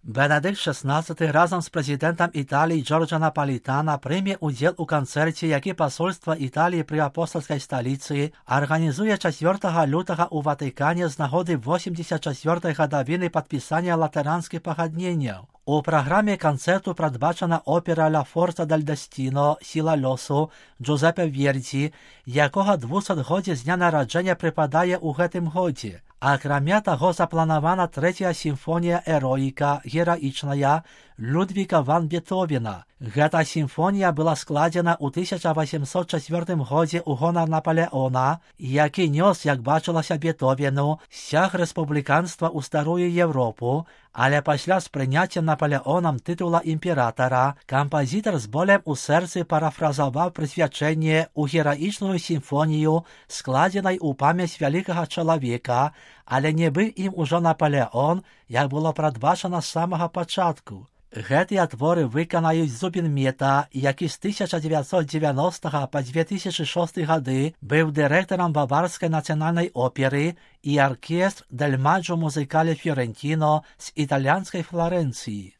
Бенедикт XVI разом з президентом Італії Джорджо Наполітано прийме уділ у концерті, який посольство Італії при апостольській столиці організує 4 лютого у Ватикані з нагоди 84-ї годовини підписання Латеранських погоднень. У програмі концерту передбачена опера «Ла Форца дель Дестіно» «Сила льосу» Джузеппе Верді, якого 200-годдя з дня народження припадає у гэтым годі. А кроме того, запланована 3-я сімфонія «Ероїка» «Героїчная» Людвіга ван Бетховена. Гэта сімфонія была складзена ў 1804 годзе ў гонар Наполеона, які нёс, як бачылася Бетховену, сцяг рэспубліканства ў старую Европу, але пасля з прыняццем Наполеонам тытула імператара, кампазітар з болем у сэрцы парафразаваў прысвячэнне ў гераічную сімфонію, складзенай у памяць вялікага чалавека, але не быў ім ужо Наполеон, як было прадбачана з самага пачатку. Гэтыя творы выканаюць Зубін Мета, які з 1990 па 2006 гады быў дырэктарам Баварскай нацыянальнай оперы і аркестр Дель Маджо Музыкале Фіорентіно з італьянскай Флорэнцыі.